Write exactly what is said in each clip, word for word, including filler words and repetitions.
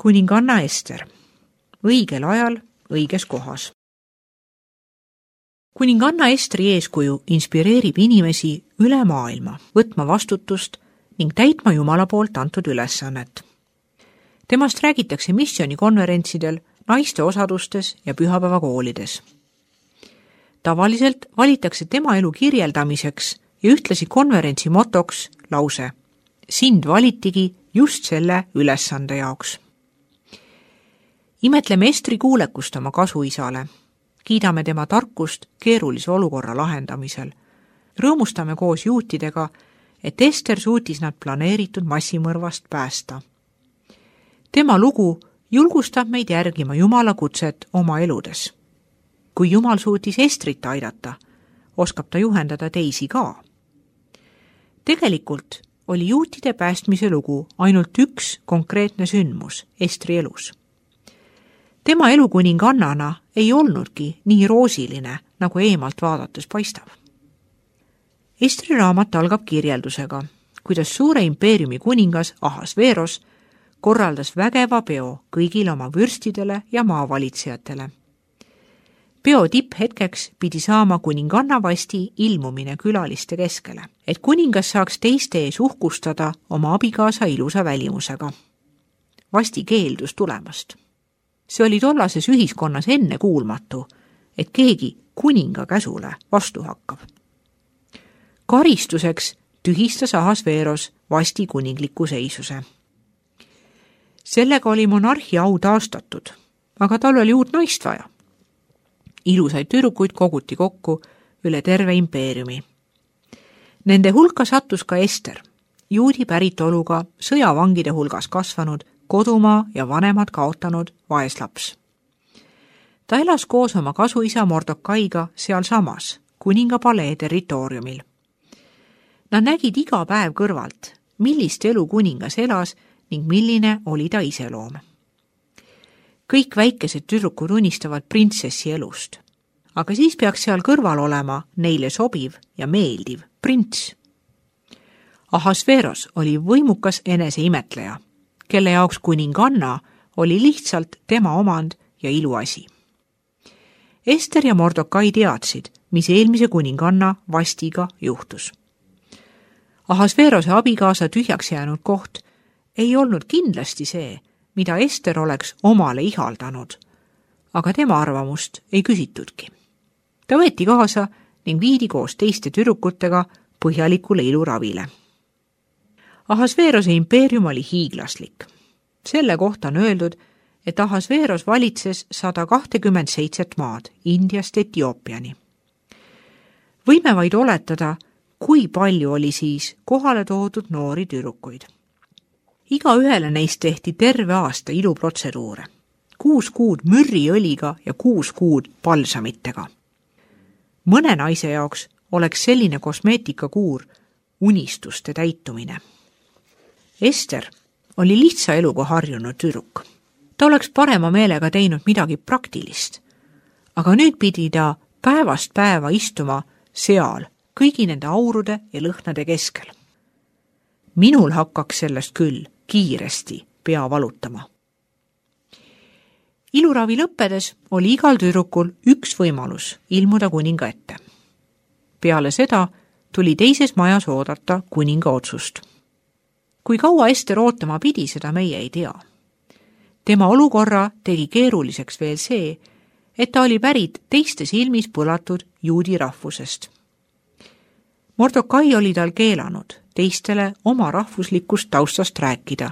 kuninganna Ester. Õigel ajal, õiges kohas. Kuninganna Estri eeskuju inspireerib inimesi üle maailma võtma vastutust ning täitma Jumala poolt antud ülesannet. Temast räägitakse missioonikonverentsidel, naiste osadustes ja pühapäevakoolides. Tavaliselt valitakse tema elu kirjeldamiseks ja ühtlasi konverentsi motoks lause: sind valitigi just selle ülesande jaoks. Imetleme Estri kuulekust oma kasuisale, kiidame tema tarkust keerulise olukorra lahendamisel, rõõmustame koos juutidega, et Ester suutis nad planeeritud massimõrvast päästa. Tema lugu julgustab meid järgima Jumala kutset oma eludes. Kui Jumal suutis Estrit aidata, oskab ta juhendada teisi ka. Tegelikult oli juutide päästmise lugu ainult üks konkreetne sündmus Estri elus. Tema elu kuningannana ei olnudki nii roosiline, nagu eemalt vaadates paistab. Estri raamat algab kirjeldusega, kuidas suure impeeriumi kuningas Ahasveros korraldas vägeva peo kõigile oma vürstidele ja maavalitsejatele. Peo tipphetkeks pidi saama kuninganna Vasti ilmumine külaliste keskele, et kuningas saaks teiste ees uhkustada oma abikaasa ilusa välimusega. Vasti keeldus tulemast. See oli tollases ühiskonnas enne kuulmatu, et keegi kuninga käsule vastu hakkab. Karistuseks tühistas Ahasveros Vasti kuningliku seisuse. Sellega oli monarhi au taastatud, aga tal oli uut naist vaja. Ilusaid tüdrukuid koguti kokku üle terve impeeriumi. Nende hulka sattus ka Ester, juudi päritoluga sõjavangide hulgas kasvanud, kodumaa ja vanemad kaotanud vaeslaps. Ta elas koos oma kasuisa Mordokaiga sealsamas, kuninga palee territooriumil. Nad nägid iga päev kõrvalt, millist elu kuningas elas ning milline oli ta iseloom. Kõik väikesed tüdrukud unistavad printsessi elust, aga siis peaks seal kõrval olema neile sobiv ja meeldiv prints. Ahasveros oli võimukas eneseimetleja, kelle jaoks kuninganna oli lihtsalt tema omand ja iluasi. Ester ja Mordokai teadsid, mis eelmise kuninganna Vastiga juhtus. Ahasverose abikaasa tühjaks jäänud koht ei olnud kindlasti see, mida Ester oleks omale ihaldanud, aga tema arvamust ei küsitudki. Ta võeti kaasa ning viidi koos teiste tüdrukutega põhjalikule iluravile. Ahasverose impeerium oli hiiglaslik. Selle kohta on öeldud, et Ahasveros valitses sada kakskümmend seitse maad Indiast Etioopiani. Võime vaid oletada, kui palju oli siis kohale toodud noori tüdrukuid. Iga ühele neist tehti terve aasta iluprotseduure, kuus kuud mürriõliga ja kuus kuud palsamitega. Mõne naise jaoks oleks selline kosmeetikakuur unistuste täitumine. Ester oli lihtsa eluga harjunud tüdruk. Ta oleks parema meelega teinud midagi praktilist, aga nüüd pidi ta päevast päeva istuma seal kõigi nende aurude ja lõhnade keskel. Minul hakkaks sellest küll kiiresti pea valutama. Iluravi lõppedes oli igal tüdrukul üks võimalus ilmuda kuninga ette. Peale seda tuli teises majas oodata kuninga otsust. Kui kaua Ester ootama pidi, seda meie ei tea. Tema olukorra tegi keeruliseks veel see, et ta oli pärit teiste silmis põlatud juudi rahvusest. Mordokai oli tal keelanud teistele oma rahvuslikust taustast rääkida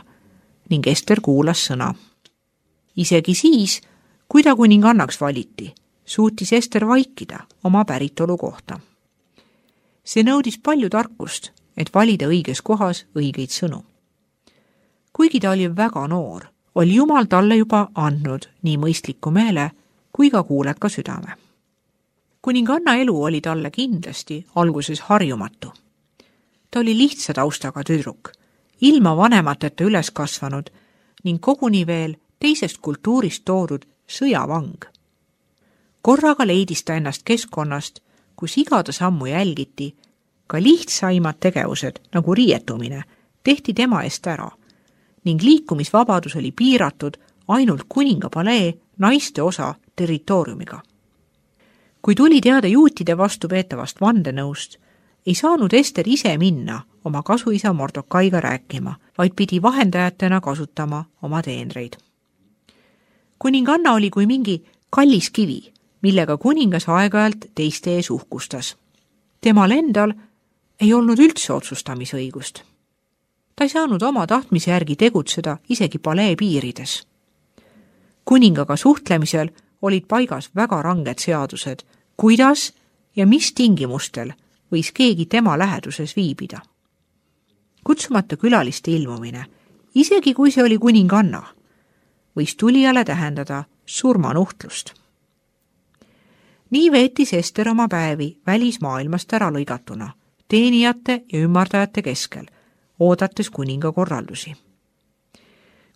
ning Ester kuulas sõna. Isegi siis, kui ta kuningannaks valiti, suutis Ester vaikida oma päritolu kohta. See nõudis palju tarkust, et valida õiges kohas õigeid sõnu. Kuigi ta oli väga noor, oli Jumal talle juba andnud nii mõistliku meele kui ka kuuleka südame. Kuninganna elu oli talle kindlasti alguses harjumatu. Ta oli lihtsa taustaga tüdruk, ilma vanemateta üles kasvanud ning koguni veel teisest kultuurist toodud sõjavang. Korraga leidis ta ennast keskkonnast, kus igada sammu jälgiti, ka lihtsaimad tegevused nagu riietumine tehti tema eest ära ning liikumisvabadus oli piiratud ainult kuninga palee naiste osa territooriumiga. Kui tuli teada juutide vastu peetavast vandenõust, ei saanud Ester ise minna oma kasuisa Mordokaiga rääkima, vaid pidi vahendajatena kasutama oma teenreid. Kuninganna oli kui mingi kallis kivi, millega kuningas aeg-ajalt teiste ees uhkustas. Temal endal ei olnud üldse otsustamisõigust. Ta ei saanud oma tahtmise järgi tegutseda isegi palee piirides. Kuningaga suhtlemisel olid paigas väga ranged seadused, kuidas ja mis tingimustel võis keegi tema läheduses viibida. Kutsumata külaliste ilmumine, isegi kui see oli kuninganna, võis tulijale tähendada surmanuhtlust. Nii veetis Ester oma päevi välismaailmast ära lõigatuna, teenijate ja ümardajate keskel, oodates kuninga korraldusi.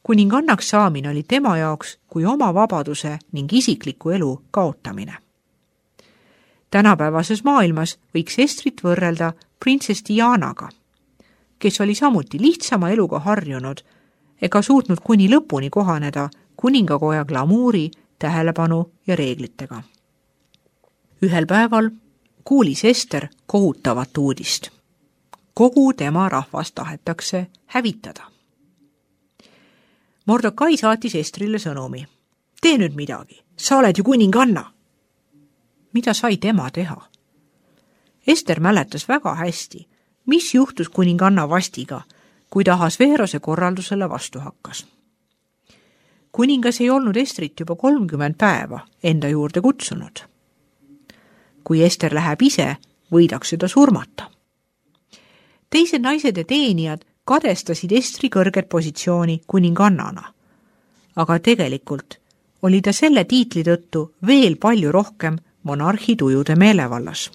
Kuningannaks saamine oli tema jaoks kui oma vabaduse ning isikliku elu kaotamine. Tänapäevases maailmas võiks Estrit võrrelda printsess Dianaga, kes oli samuti lihtsama eluga harjunud ega suutnud kuni lõpuni kohaneda kuningakoja glamuuri, tähelepanu ja reeglitega. Ühel päeval kuulis Ester kohutavat uudist. Kogu tema rahvast tahetakse hävitada. Mordokai saatis Estrile sõnumi. Tee nüüd midagi, sa oled ju kuninganna. Mida sai tema teha? Ester mäletas väga hästi, mis juhtus kuninganna vastiga, kui ta Ahasveerose korraldusele vastu hakkas. Kuningas ei olnud Estrit juba kolmkümmend päeva enda juurde kutsunud. Kui Ester läheb ise, võidakse ta surmata. Teised naised ja teenijad kadestasid Estri kõrget positsiooni kuningannana, aga tegelikult oli ta selle tiitli tõttu veel palju rohkem monarhi tujude meelevallas.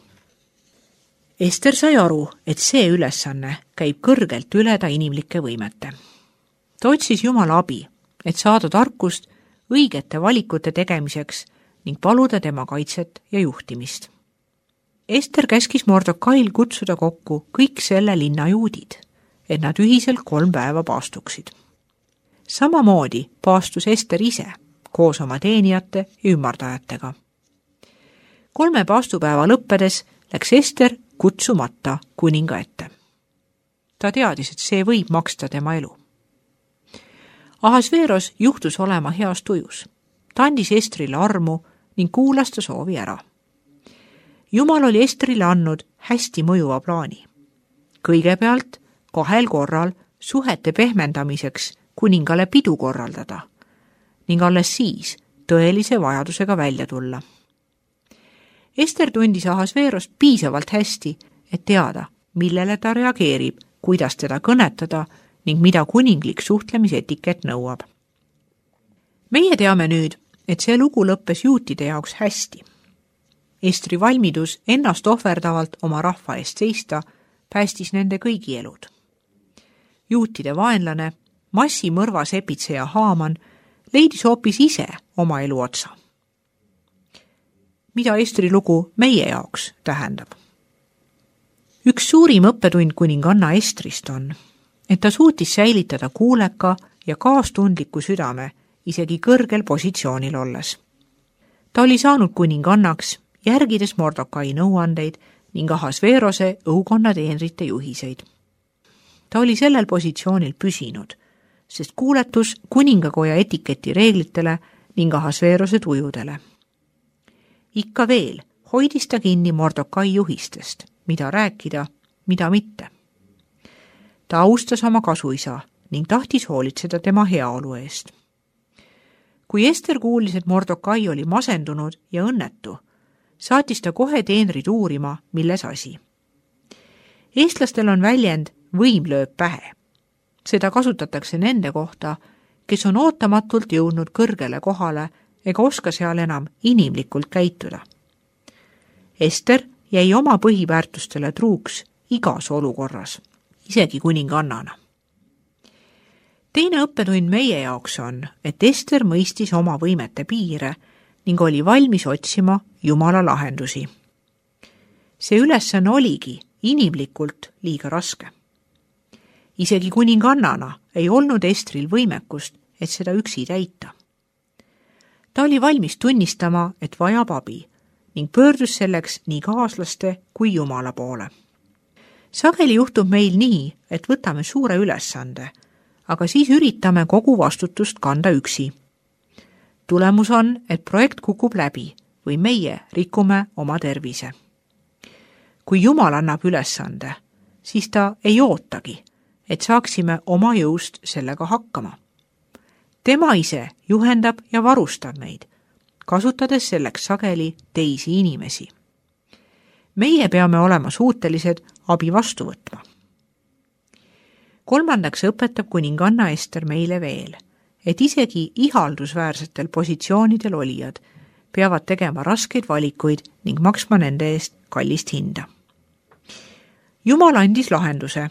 Ester sai aru, et see ülesanne käib kõrgelt üle ta inimlike võimete. Ta otsis Jumala abi, et saada tarkust õigete valikute tegemiseks ning paluda tema kaitset ja juhtimist. Ester käskis Mordokail kutsuda kokku kõik selle linna juudid, et nad ühiselt kolm päeva paastuksid. Samamoodi paastus Ester ise koos oma teenijate ja ümardajatega. Kolme paastupäeva lõppedes läks Ester kutsumata kuninga ette. Ta teadis, et see võib maksta tema elu. Ahasveeros juhtus olema heas tujus. Ta andis Estrile armu ning kuulas ta soovi ära. Jumal oli Estrile andnud hästi mõjuva plaani. Kõigepealt kahel korral suhete pehmendamiseks kuningale pidu korraldada ning alles siis tõelise vajadusega välja tulla. Ester tundis Ahasveerost piisavalt hästi, et teada, millele ta reageerib, kuidas teda kõnetada ning mida kuninglik suhtlemisetikett nõuab. Meie teame nüüd, et see lugu lõppes juutide jaoks hästi. Estri valmidus ennast ohverdavalt oma rahva eest seista päästis nende kõigi elud. Juutide vaenlane, massimõrva sepitseja Haaman leidis hoopis ise oma elu otsa. Mida Estri lugu meie jaoks tähendab? Üks suurim õppetund kuninganna Estrist on, et ta suutis säilitada kuuleka ja kaastundliku südame isegi kõrgel positsioonil olles. Ta oli saanud kuningannaks, järgides Mordokai nõuandeid ning Ahasveerose õukonna teenrite juhiseid. Ta oli sellel positsioonil püsinud, sest kuuletus kuningakoja etiketi reeglitele ning Ahasveerose tujudele. Ikka veel hoidis ta kinni Mordokai juhistest, mida rääkida, mida mitte. Ta austas oma kasuisa ning tahtis hoolitseda tema heaolu eest. Kui Ester kuulis, et Mordokai oli masendunud ja õnnetu, saatis ta kohe teenrid uurima, milles asi. Eestlastel on väljend võim lööb pähe. Seda kasutatakse nende kohta, kes on ootamatult jõudnud kõrgele kohale ega oska seal enam inimlikult käituda. Ester jäi oma põhiväärtustele truuks igas olukorras, isegi kuningannana. Teine õppetund meie jaoks on, et Ester mõistis oma võimete piire ning oli valmis otsima Jumala lahendusi. See ülesanne oligi inimlikult liiga raske. Isegi kuningannana ei olnud Estril võimekust, et seda üksi täita. Ta oli valmis tunnistama, et vajab abi ning pöördus selleks nii kaaslaste kui Jumala poole. Sageli juhtub meil nii, et võtame suure ülesande, aga siis üritame kogu vastutust kanda üksi. Tulemus on, et projekt kukub läbi või meie rikume oma tervise. Kui Jumal annab ülesande, siis ta ei ootagi, et saaksime oma jõust sellega hakkama. Tema ise juhendab ja varustab meid, kasutades selleks sageli teisi inimesi. Meie peame olema suutelised abi vastu võtma. Kolmandaks õpetab kuninganna Ester meile veel, et isegi ihaldusväärsetel positsioonidel olijad peavad tegema raskeid valikuid ning maksma nende eest kallist hinda. Jumal andis lahenduse,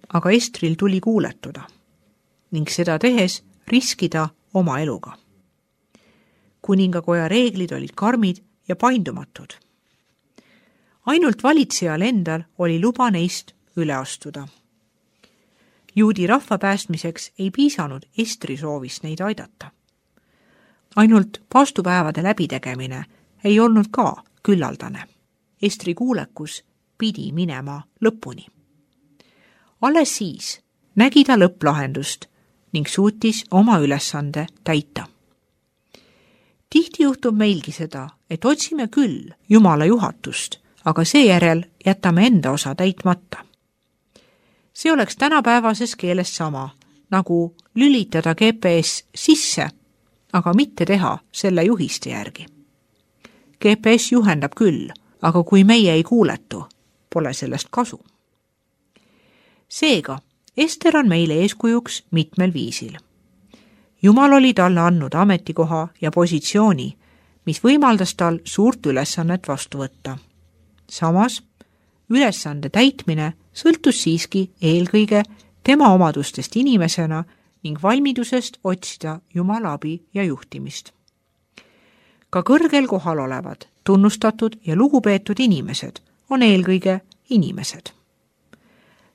aga Estril tuli kuuletuda ning seda tehes riskida oma eluga. Kuningakoja reeglid olid karmid ja paindumatud. Ainult valitsejal endal oli luba neist üle astuda. Juudi rahva päästmiseks ei piisanud Estri soovist neid aidata. Ainult paastupäevade läbitegemine ei olnud ka küllaldane. Estri kuulekus pidi minema lõpuni. Alles siis nägi ta lõpplahendust ning suutis oma ülesande täita. Tihti juhtub meilgi seda, et otsime küll Jumala juhatust, aga seejärel jätame enda osa täitmata. See oleks tänapäevases keeles sama, nagu lülitada G P S sisse, aga mitte teha selle juhiste järgi. G P S juhendab küll, aga kui meie ei kuuletu, pole sellest kasu. Seega, Ester on meile eeskujuks mitmel viisil. Jumal oli talle andnud ametikoha ja positsiooni, mis võimaldas tal suurt ülesannet vastu võtta. Samas, ülesande täitmine sõltus siiski eelkõige tema omadustest inimesena ning valmidusest otsida Jumala abi ja juhtimist. Ka kõrgel kohal olevad, tunnustatud ja lugupeetud inimesed on eelkõige inimesed.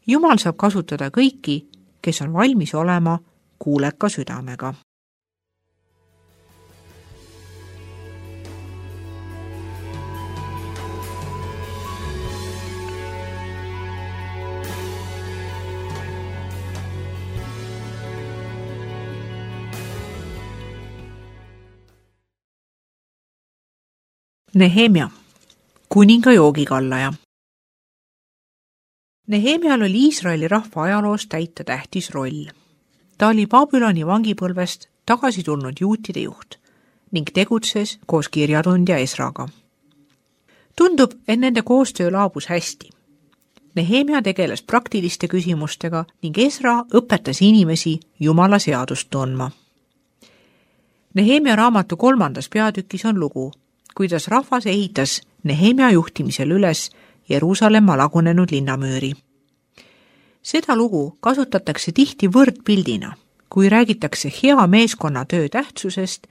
Jumal saab kasutada kõiki, kes on valmis olema kuuleka südamega. Nehemia, kuninga joogikallaja. Nehemial oli Iisraeli rahva ajaloos täita tähtis roll. Ta oli Babyloni vangipõlvest tagasi tulnud juutide juht ning tegutses koos kirjatundja Esraga. Tundub, et nende koostöö laabus hästi. Nehemia tegeles praktiliste küsimustega ning Esra õpetas inimesi Jumala seadust tundma. Nehemia raamatu kolmandas peatükis on lugu, kuidas rahvas ehitas Nehemia juhtimisel üles Jeruusalemma lagunenud linnamüüri. Seda lugu kasutatakse tihti võrdpildina, kui räägitakse hea meeskonnatöö tähtsusest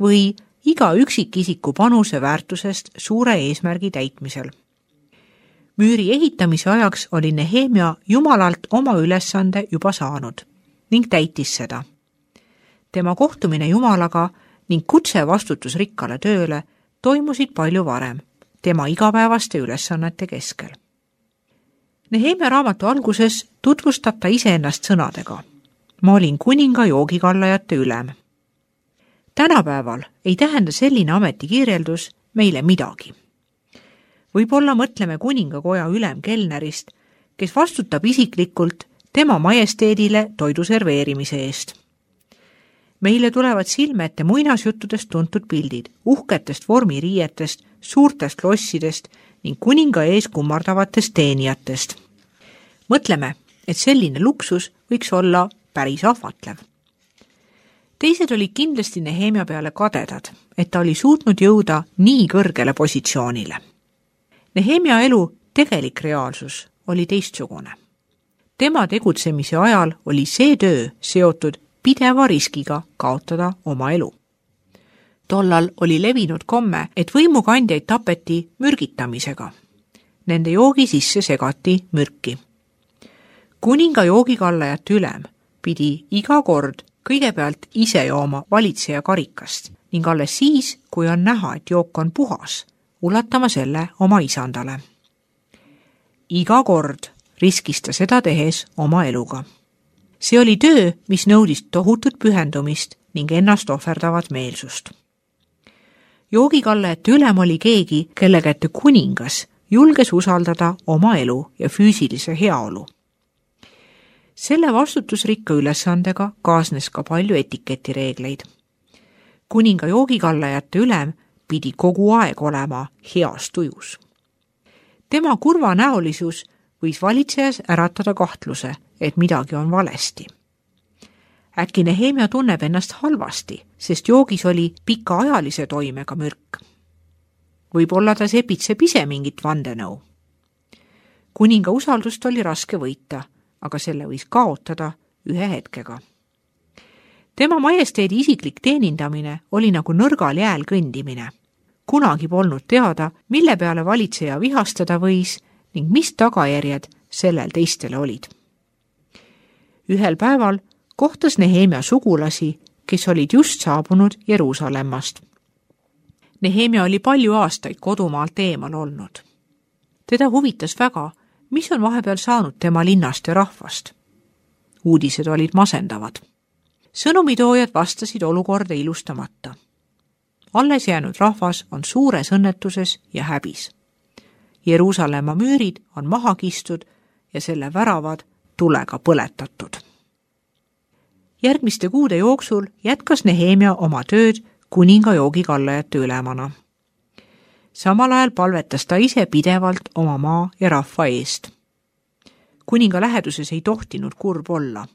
või iga üksikisiku panuse väärtusest suure eesmärgi täitmisel. Müüri ehitamise ajaks oli Nehemia Jumalalt oma ülesande juba saanud ning täitis seda. Tema kohtumine Jumalaga ning kutse vastutusrikkale tööle toimusid palju varem, tema igapäevaste ülesannete keskel. Nehemia raamatu alguses tutvustab ta iseennast sõnadega. Ma olin kuninga joogikallajate ülem. Tänapäeval ei tähenda selline ametikirjeldus meile midagi. Võib-olla mõtleme kuningakoja ülemkelnerist, kes vastutab isiklikult tema majesteedile toidu serveerimise eest. Meile tulevad silme ette muinasjuttudest tuntud pildid, uhketest vormiriietest, suurtest lossidest ning kuninga ees kummardavatest teenijatest. Mõtleme, et selline luksus võiks olla päris ahvatlev. Teised olid kindlasti Nehemia peale kadedad, et ta oli suutnud jõuda nii kõrgele positsioonile. Nehemia elu tegelik reaalsus oli teistsugune. Tema tegutsemise ajal oli see töö seotud pideva riskiga kaotada oma elu. Tollal oli levinud komme, et võimukandjaid tapeti mürgitamisega. Nende joogi sisse segati mürki. kuninga joogikallajate ülem pidi iga kord kõigepealt ise jooma valitseja karikast ning alles siis, kui on näha, et jook on puhas, ulatama selle oma isandale. Iga kord riskis ta seda tehes oma eluga. See oli töö, mis nõudis tohutut pühendumist ning ennast ohverdavat meelsust. Joogikallajate ülem oli keegi, kelle kätte kuningas julges usaldada oma elu ja füüsilise heaolu. Selle vastutusrikka ülesandega kaasnes ka palju etiketireegleid. Kuninga joogikallajate ülem pidi kogu aeg olema heas tujus. Tema kurvanäolisus võis valitsejas äratada kahtluse, et midagi on valesti. Äkki Nehemia tunneb ennast halvasti, sest joogis oli pikaajalise toimega mürk. Võib-olla ta sepitseb ise mingit vandenõu. Kuninga usaldust oli raske võita, aga selle võis kaotada ühe hetkega. Tema majesteedi isiklik teenindamine oli nagu nõrgal jääl kõndimine. Kunagi polnud teada, mille peale valitseja vihastada võis ning mis tagajärjed sellel teistele olid. Ühel päeval kohtas Nehemia sugulasi, kes olid just saabunud Jeruusalemmast. Nehemia oli palju aastaid kodumaalt eemal olnud. Teda huvitas väga, mis on vahepeal saanud tema linnast ja rahvast. Uudised olid masendavad. Sõnumitoojad vastasid olukorda ilustamata. Alles jäänud rahvas on suures õnnetuses ja häbis. Jeruusalemma müürid on maha kistud ja selle väravad tulega põletatud. Järgmiste kuude jooksul jätkas Nehemia oma tööd kuninga joogikallajate ülemana. Samal ajal palvetas ta ise pidevalt oma maa ja rahva eest. Kuninga läheduses ei tohtinud kurb olla.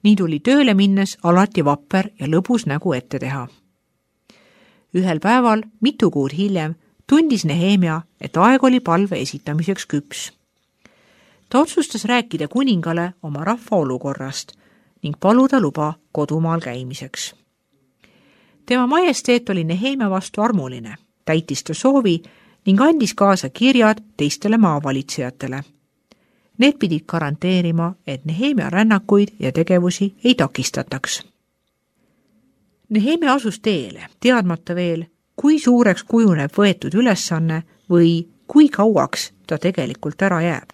Nii tuli tööle minnes alati vapper ja lõbus nägu ette teha. Ühel päeval, mitu kuud hiljem, tundis Nehemia, et aeg oli palve esitamiseks küps. Ta otsustas rääkida kuningale oma rahva olukorrast ning paluda luba kodumaal käimiseks. Tema majesteet oli Nehemia vastu armuline, täitis ta soovi ning andis kaasa kirjad teistele maavalitsejatele. Need pidid garanteerima, et Nehemia rännakuid ja tegevusi ei takistataks. Nehemia asus teele, teadmata veel, kui suureks kujuneb võetud ülesanne või kui kauaks ta tegelikult ära jääb.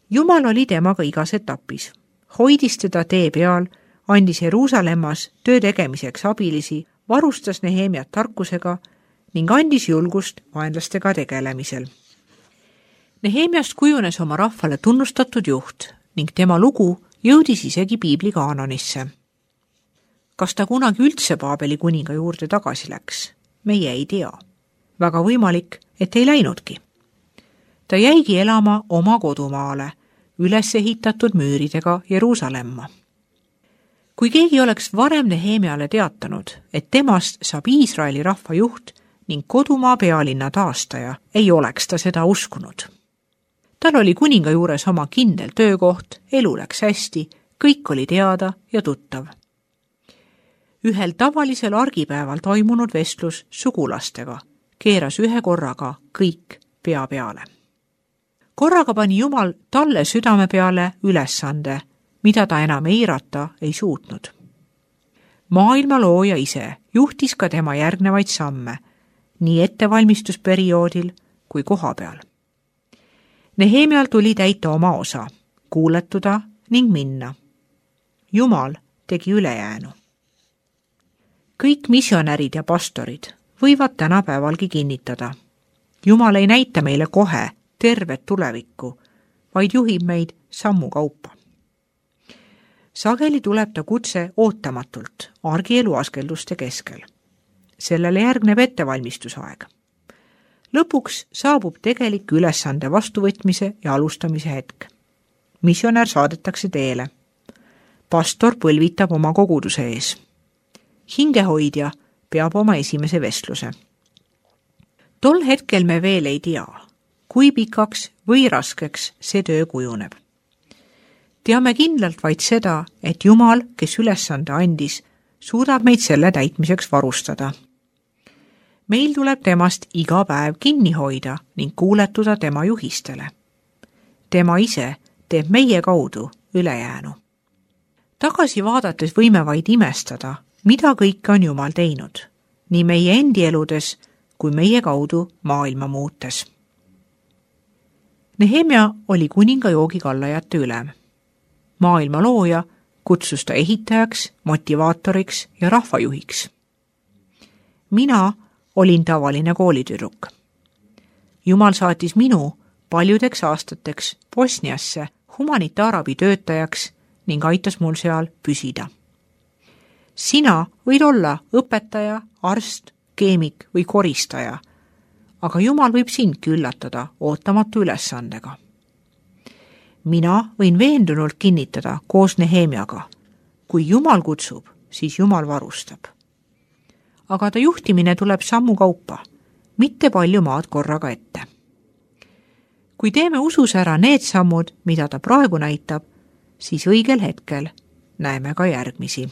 Jumal oli temaga igas etapis, hoidis teda tee peal, andis Jeruusalemmas töö tegemiseks abilisi, varustas Nehemiat tarkusega ning andis julgust vaenlastega tegelemisel. Nehemiast kujunes oma rahvale tunnustatud juht ning tema lugu jõudis isegi piibli kaanonisse. Kas ta kunagi üldse Paabeli kuninga juurde tagasi läks? Meie ei tea. Väga võimalik, et ei läinudki. Ta jäigi elama oma kodumaale, üles ehitatud müüridega Jeruusalemma. Kui keegi oleks varem Nehemiale teatanud, et temast saab Iisraeli rahva juht ning kodumaa pealinna taastaja, ei oleks ta seda uskunud. Tal oli kuninga juures oma kindel töökoht, elu läks hästi, kõik oli teada ja tuttav. Ühel tavalisel argipäeval toimunud vestlus sugulastega keeras ühe korraga kõik pea peale. Korraga pani Jumal talle südame peale ülesande, mida ta enam eirata ei suutnud. Maailma looja ise juhtis ka tema järgnevaid samme, nii ettevalmistusperioodil kui koha peal. Nehemial tuli täita oma osa, kuuletuda ning minna. Jumal tegi ülejäänu. Kõik missionärid ja pastorid võivad tänapäevalgi kinnitada. Jumal ei näita meile kohe tervet tulevikku, vaid juhib meid sammu kaupa. Sageli tuleb ta kutse ootamatult argielu askelduste keskel. Sellele järgneb ettevalmistusaeg. Lõpuks saabub tegelik ülesande vastuvõtmise ja alustamise hetk. Missionär saadetakse teele. Pastor põlvitab oma koguduse ees. Hingehoidja peab oma esimese vestluse. Tol hetkel me veel ei tea, kui pikaks või raskeks see töö kujuneb. Teame kindlalt vaid seda, et Jumal, kes ülesande andis, suudab meid selle täitmiseks varustada. Meil tuleb temast iga päev kinni hoida ning kuuletuda tema juhistele. Tema ise teeb meie kaudu ülejäänu. Tagasi vaadates võime vaid imestada, mida kõike on Jumal teinud, nii meie endi eludes kui meie kaudu maailma muutes. Nehemia oli kuninga joogikallajate ülem. Maailma looja kutsus ta ehitajaks, motivaatoriks ja rahvajuhiks. Mina olin tavaline koolitüdruk. Jumal saatis minu paljudeks aastateks Bosniasse humanitaarabi töötajaks ning aitas mul seal püsida. Sina võid olla õpetaja, arst, keemik või koristaja, aga Jumal võib sindki üllatada ootamatu ülesandega. Mina võin veendunult kinnitada koos Nehemiaga. Kui Jumal kutsub, siis Jumal varustab. Aga ta juhtimine tuleb sammu kaupa, mitte palju maad korraga ette. Kui teeme usus ära need sammud, mida ta praegu näitab, siis õigel hetkel näeme ka järgmisi.